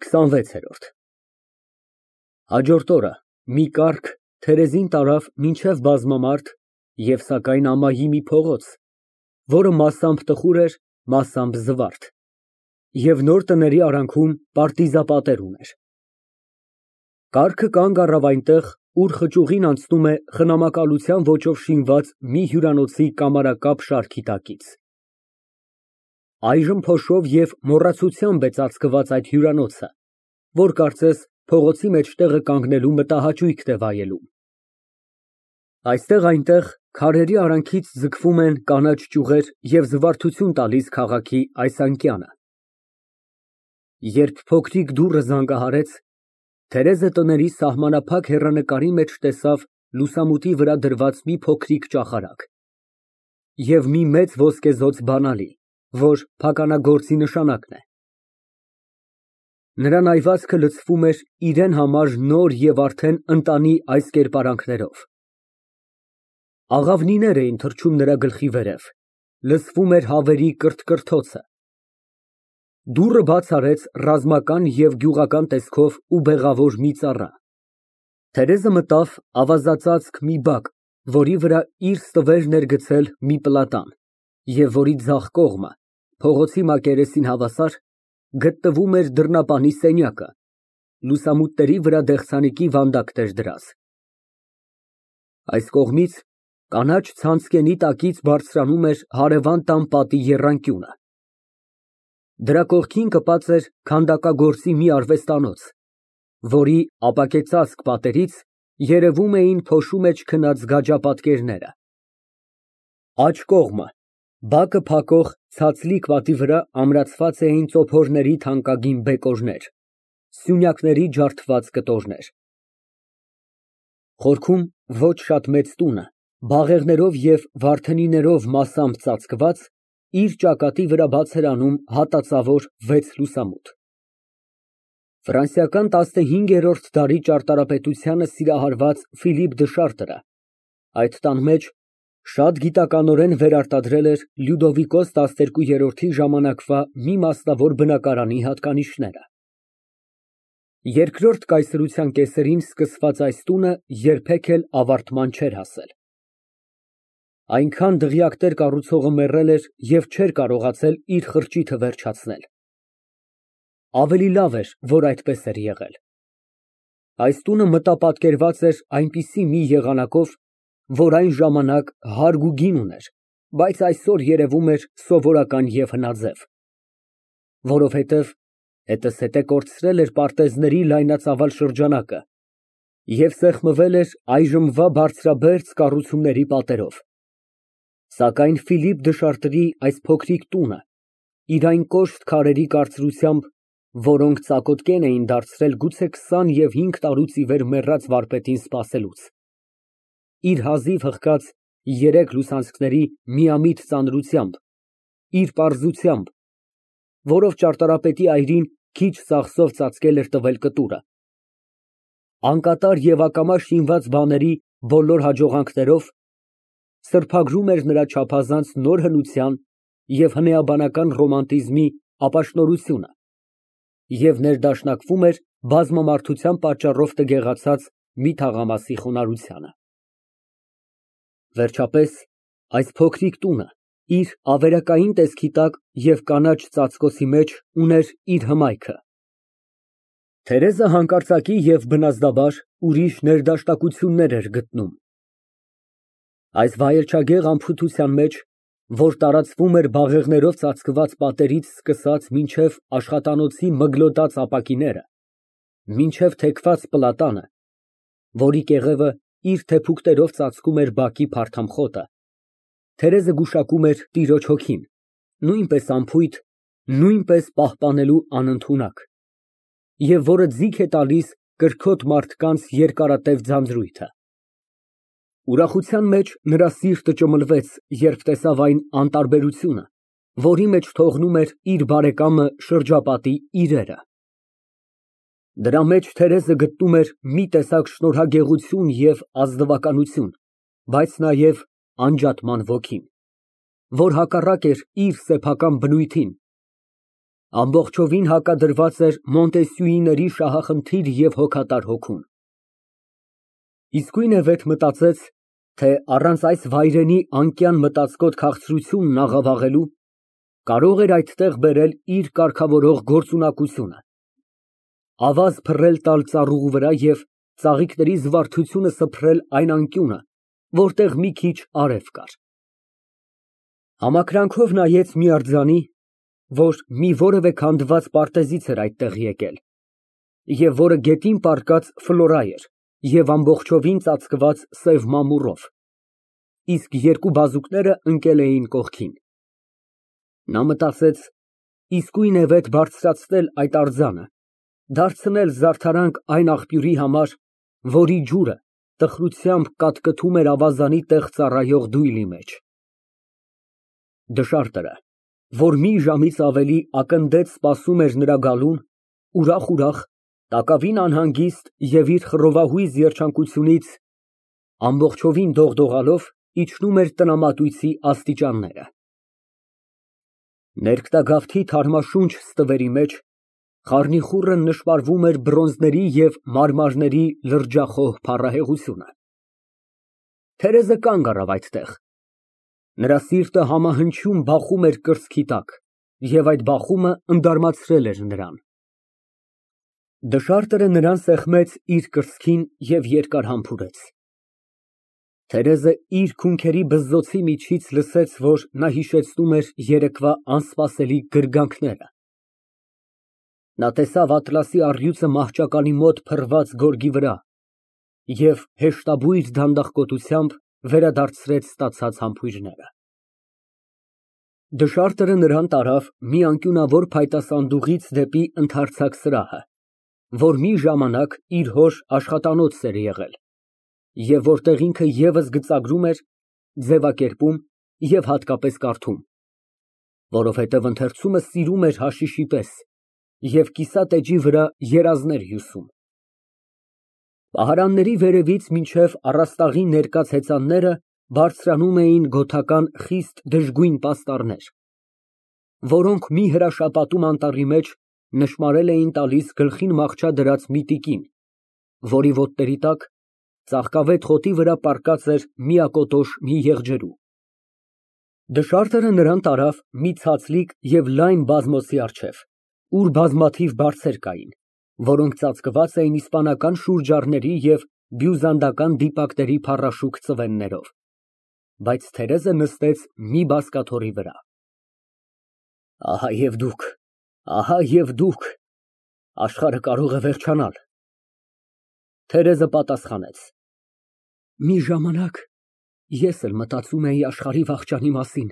26։ Հաջորդ օրը մի կառք Թերեզին տարավ մինչև բազմամարդ և սակայն ամայի մի փողոց, որը մասամբ տխուր էր, մասամբ զվարթ, և նոր տների արանքում պարտիզապատեր ուներ։ Կառքը կանգ առավ այնտեղ, ուր խճուղին անցնում է խնամակալության ոճով շինված մի հյուրանոցի կամարակապ շարքի տակից։ Այժմ փոշով և մոռացությամբ է ծածկված այդ հյուրանոցը, որ կարծես փողոցի մեջտեղը կանգնելու մտահաճույքն է վայելում։ Այստեղ֊այնտեղ քարերի արանքից ձգվում են կանաչ ճյուղեր և զվարթություն տալիս քաղաքի այս անկյանը։ Երբ փոքրիկ դուռը զանգահարեց, Թերեզը տների սահմանափակ հեռանկարի մեջ տեսավ լուսամուտի վրա դրված մի փոքրիկ ճախարակ և մի մեծ ոսկեզօծ բանալի, որ փականագործի նշանակն է։ Նրա նայվածքը լցվում էր իրան համար նոր և արդեն ընտանի այս կերպարանքներով։ Աղավնիներ էին թռչում նրա գլխի վերև, լսվում էր հավերի կրթկրթոցը։ Դուռը բաց արեց ռազմական և գյուղական տեսքով ու բեղավոր մի ծառա։ Թերեզը մտավ ավազածածկ մի բակ, որի վրա իր ստվերն էր գցել մի պլատան, և որի ձախ կողմը, փողոցի մակերեսին հավասար, գտնվում էր դռնապանի սենյակը, լուսամուտների վրա դեղցանիկի վանդակներ դրած։ Այս կողմից կանաչ ցանցկենի տակից բարձրանում էր հարևան տան պատի եռանկյունը։ Դրա կողքին կպած էր քանդակագործի մի արվեստանոց, որի ապակեցածկ պատերից երևում էին փոշու մեջ քնած գաջապատկերները։ Աջ կողմը, բակը փակող ցածլիկ պատի վրա ամրացված էին ծոփորների թանկագին բեկորներ, սյունյակների ջարդված կտորներ։ Խորքում ոչ շատ մեծ տունը, բաղեղներով և վարդենիներով մասամբ ծածկված, իր ճակատի վրա բաց էր անում հատածավոր 6 լուսամուտ։ Ֆրանսիական 15-րդ դարի ճարտարապետությանը սիրահարված Ֆիլիպ Դշարտերը այդ տան մեջ շատ գիտականորեն վերարտադրել էր Լյուդովիկոս 12-րդի ժամանակվա մի մասնավոր բնակարանի հատկանիշները։ Երկրորդ կայսրության կեսերին սկսված այս տունը երբեք էլ ավարտման չէր հասել։ Այնքան դղյակներ կառուցողը մեռել էր և չէր կարողացել իր խրճիթը վերջացնել։ Ավելի լավ էր, որ այդպես էր եղել։ Այս տունը մտապատկերված էր այնպիսի մի եղանակով, որ այն ժամանակ հարգ ու գին ուներ, բայց այսօր երևում էր սովորական և հնաձև։ Որովհետև հետզհետե կորցրել էր պարտեզների լայնածավալ շրջանակը և սեղմվել էր այժմվա բարձրաբերձ կառուցումների պատերով։ Սակայն Ֆիլիպ Դշարտերի այս փոքրիկ տունը, իր այն կոշտ քարերի կարծրությամբ, որոնք ծակոտկեն էին դարձրել գուցե 25 տարուց ի վեր մեռած վարպետին սպասելուց, իր հազիվ հղկած 3 լուսանցքների միամիտ ծանրությամբ, իր պարզությամբ, որով ճարտարապետի այրին քիչ ծախսով ծածկել էր տվել կտուրը, անկատար և ակամա շինված բաների բոլոր հաջողանքներով, սրբագրում էր նրա չափազանց նոր հնության և հնեաբանական ռոմանտիզմի ապաշնորհությունը և ներդաշնակվում էր բազմամարդության պատճառով տգեղացած մի թաղամասի խոնարհությանը։ Վերջապես, այս փոքրիկ տունը իր ավերակային տեսքի տակ և կանաչ ծածկոցի մեջ ուներ իր հմայքը։ Թերեզը հանկարծակի և բնազդաբար ուրիշ ներդաշնակություններ էր գտնում։ Այս վայելչագեղ անփութության մեջ, որ տարածվում էր բաղեղներով ծածկված պատերից սկսած մինչև աշխատանոցի մգլոտած ապակիները, մինչև թեքված պլատանը, որի կեղևը իր թեփուկներով ծածկում էր բակի փարթամխոտը, Թերեզը գուշակում էր տիրոջ հոգին, նույնպես անփույթ, նույնպես պահպանելու անընդունակ, և որը ձիգ է տալիս կրքոտ մարդկանց երկարատև ձանձրույթը։ Ուրախության մեջ նրա սիրտը ճմլվեց, երբ տեսավ այն անտարբերությունը, որի մեջ թողնում էր իր բարեկամը շրջապատի իրերը։ Դրա մեջ Թերեզը գտնում էր մի տեսակ շնորհագեղություն և ազնվականություն, բայց նաև անջատման ոգին, որ հակառակ էր իր սեփական բնույթին, Ամբողջովին հակադրված էր Մոնտեսյուիների շահախնդիր և հոգատար հոգուն։ Իսկույն է վեթ մտածեց, թե առանց այս վայրենի անկյան մտածկոտ քաղցրությունն աղավաղելու, կարող էր այդտեղ բերել իր կարգավորող գործունակությունը, ավազ փռել տալ ծառուղու վրա և ծաղիկների զվարթությունը սփռել այն անկյունը, որտեղ մի քիչ արև կար։ Համակրանքով նայեց մի արձանի, որ մի որևէ քանդված պարտեզից էր այդտեղ եկել, և որը գետին պառկած ֆլորա էր և ամբողջովին ծածկված սև մամուռով, իսկ երկու բազուկները ընկել էին կողքին։ Նա մտածեց իսկույն է վեթ բարձրացնել այդ արձանը, դարձնել զարդարանք այն աղբյուրի համար, որի ջուրը տխրությամբ կատկտում էր ավազանի տեղ ծառայող դույլի մեջ։ Դշարտերը, որ մի ժամից ավելի ակնդեց սպասում էր նրա գալուն, ուրախ, տակավին անհանգիստ և իր խռովահույզ երջանկությունից ամբողջովին դողդողալով իջնում էր տնամատույցի աստիճանները։ Ներքտագավթի թարմաշունչ ստվերի մեջ խառնիխուռը նշմարվում էր բրոնզների և մարմարների լրջախոհ փառահեղությունը։ Թերեզը կանգ առավ այդտեղ։ Նրա սիրտը համահնչյուն բախում էր կրծքի տակ, և այդ բախումը ընդարմացրել էր նրան։ Դշարտերը նրան սեղմեց իր կրծքին և երկար համբուրեց։ Թերեզը իր քունքերի բզզոցի միջից լսեց, որ նա հիշեցնում էր երեկվա անսպասելի գրգանքները։ Նա տեսավ ատլասի առյուծը մահճակալի մոտ փռված գորգի վրա և հեշտաբույր դանդաղկոտությամբ վերադարձրեց ստացած համբույրները։ Դշարտերը նրան տարավ մի անկյունավոր փայտասանդուղից դեպի ընդարձակ սրահը, որ մի ժամանակ իր հոր աշխատանոցն էր եղել, և որտեղ ինքը ևս գծագրում էր, ձևակերպում և հատկապես կարդում, որովհետև ընթերցումը սիրում էր հաշիշի պես և կիսատեջի վրա երազներ հյուսում։ Պահարանների վերևից մինչև առաստաղի ներկած հեծանները բարձրանում էին գոթական խիստ դժգույն պաստառներ, որոնք մի հրաշապատում անտառի մեջ նշմարել էին տալիս գլխին մախչա դրած մի տիկին, որի ոտների տակ ծաղկավետ խոտի վրա պառկած էր միակոտոշ մի եղջերու։ Դշարտերը նրան տարավ մի ցածլիկ և լայն բազմոցի առջև, ուր բազմաթիվ բարձեր կային, որոնք ծածկված էին իսպանական շուրջառների և բյուզանդական դիպակների փառաշուք ծվեններով, բայց Թերեզը նստեց մի բազկաթոռի վրա։ Ահա և դուք, աշխարհը կարող է վերջանալ։ Թերեզը պատասխանեց. Մի ժամանակ ես էլ մտածում էի աշխարհի վախճանի մասին,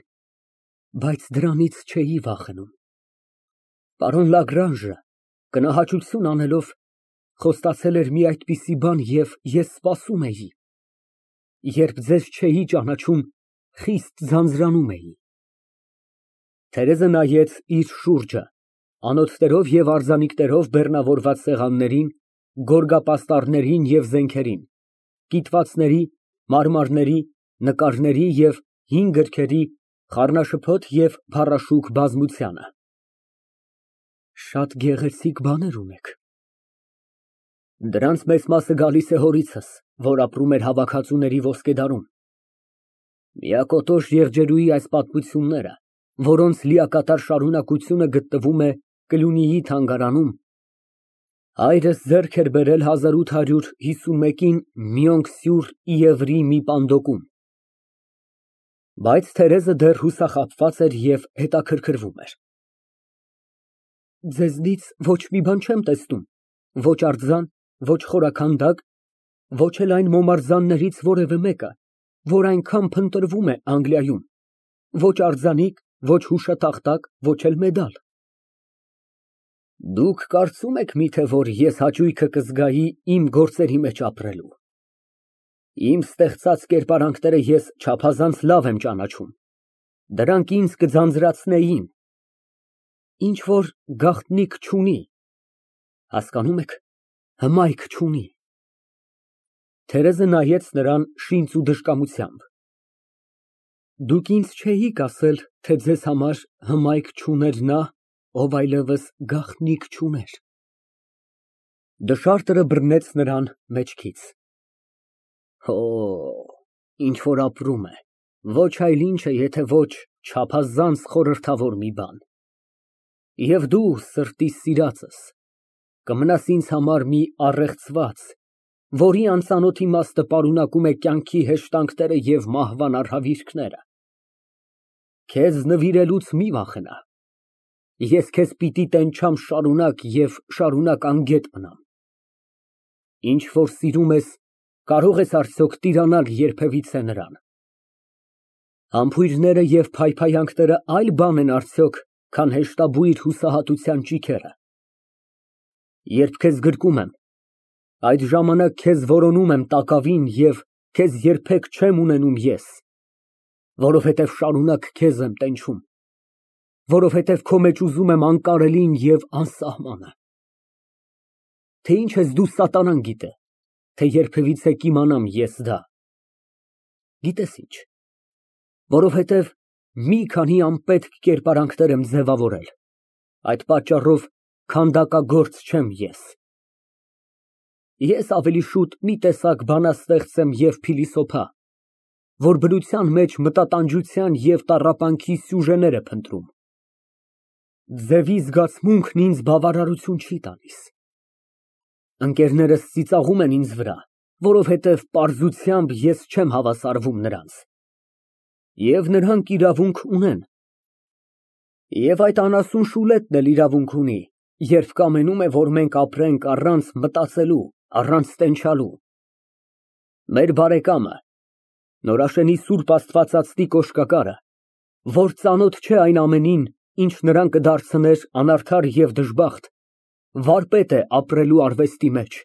բայց դրանից չէի վախենում։ Պարոն Լագրանժը, կնահաճություն անելով, խոստացել էր մի այդպիսի բան, և ես սպասում էի։ Երբ ձեզ չէի ճանաչում, խիստ ձանձրանում էի։ Թերեզը նայեց իր շուրջը, անոթներով և արձանիկներով բեռնավորված սեղաններին, գորգապաստառներին և զենքերին, կիտվածների, մարմարների, նկարների և հին գրքերի խառնաշփոթ և փառաշուք բազմությանը։ Շատ գեղեցիկ բաներ ունեք։ Դրանց մեծ մասը գալիս է հորիցս, որ ապրում էր հավաքածուների ոսկեդարում։ Միակոտոշ եղջերուի այս պատմությունները, որոնց լիակատար շարունակությունը գտնվում է Կլյունիի թանգարանում, հայրս ձեռք էր բերել 1851-ին Մյոնք֊Սյուր Իևրի մի պանդոկում։ Բայց Թերեզը դեռ հուսախաբված էր և հետաքրքրվում էր։ Ձեզնից ոչ մի բան չեմ տեսնում, ոչ արձան, ոչ խորաքանդակ, ոչ էլ այն մոմարձաններից որևէ մեկը, որ այնքան փնտրվում է Անգլիայում, ոչ արձանիկ, ոչ հուշատախտակ, ոչ էլ մեդալ։ Դուք կարծում եք մի՞թե, որ ես հաճույքը կզգայի իմ գործերի մեջ ապրելու։ Իմ ստեղծած կերպարանքները ես չափազանց լավ եմ ճանաչում, դրանք ինձ կձանձրացնեին, ինչ որ գաղտնիք չունի, հասկանում եք, հմայք չունի։ Թերեզը նայեց նրան շինծ ու դժկամությամբ։ Դուք ինձ չէիք ասել, թե ձեզ համար հմայք չուներ նա, ով այլևս գաղտնիք չուներ։ Դշարտը բռնեց նրան մեջքից։ Հո, ինչ որ ապրում է, ոչ այլ ինչ է, եթե ոչ չափազանց խորհրդավոր մի բան։ Եվ դու, սրտի սիրածս, կմնաս ինձ համար մի առեղծված, որի անծանոթ իմաստը պարունակում է կյանքի հեշտանքները և մահվան արհավիրքները։ Քեզ նվիրելուց մի վախենա, ես քեզ պիտի տենչամ շարունակ և շարունակ անգետ մնամ։ Ինչ որ սիրում ես, կարող ես արդյոք տիրանալ երբևիցե նրան։ Համբույրները և փայփայանքները այլ բան են արդյոք, քան հեշտաբույր հուսահատության ճիգերը։ Երբ քեզ գրկում եմ, այդ ժամանակ քեզ որոնում եմ տակավին և քեզ երբեք չեմ ունենում ես, որովհետև շարունակ քեզ եմ տենչում, որովհետև քո մեջ ուզում եմ անկարելին և անսահմանը։ Թե ինչ ես դու սատանան գիտե, թե երբևիցե կիմանամ ես դա։ Գիտես ինչ, որովհետև մի քանի անպետք կերպարանքներ եմ ձևավորել, այդ պատճառով քանդակագործ չեմ ես։ Ես ավելի շուտ մի տեսակ բանաստեղծ եմ և փիլիսոփա, որ բնության մեջ մտատանջության և տառապանքի սյուժեներ է փնտրում։ Ձևի զգացմունքն ինձ բավարարություն չի տալիս։ Ընկերներս ծիծաղում են ինձ վրա, որովհետև պարզությամբ ես չեմ հավասարվում նրանց։ Եվ նրանք իրավունք ունեն։ Եվ այդ անասուն Շուլետն էլ իրավունք ունի, երբ կամենում է, որ մենք ապրենք առանց մտածելու, առանց տենչալու։ Մեր բարեկամը, Նորաշենի Սուրբ Աստվածածնի կոշկակարը, որ ծանոթ չէ այն ամենին, ինչ նրան կդարձներ անարդար և դժբախտ, վարպետ է ապրելու արվեստի մեջ։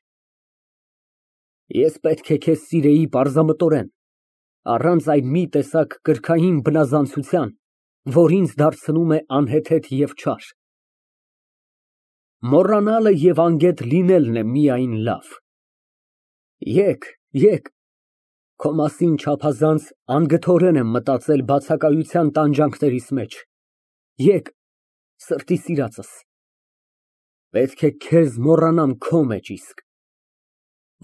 Ես պետք է քեզ սիրեի պարզամտորեն, առանց այն մի տեսակ կրքային բնազանցության, որ ինձ դարձնում է անհեթեթ և չար։ Մոռանալը և անգետ լինելն է միայն լավ։ Եկ, քո մասին չափազանց անգթորեն եմ մտածել բացակայության տանջանքներիս մեջ, եկ, սրտի սիրածս, պետք է քեզ մոռանամ քո մեջ իսկ,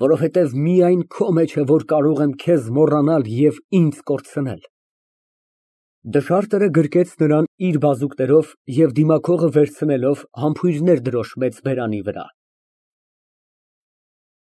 որովհետև միայն քո մեջ է, որ կարող եմ քեզ մոռանալ և ինձ կորցնել։ Դշարտը գրկեց նրան իր բազուկներով և դիմախոը վերցնելով համբույրներ դրոշմեց բերանի վրա։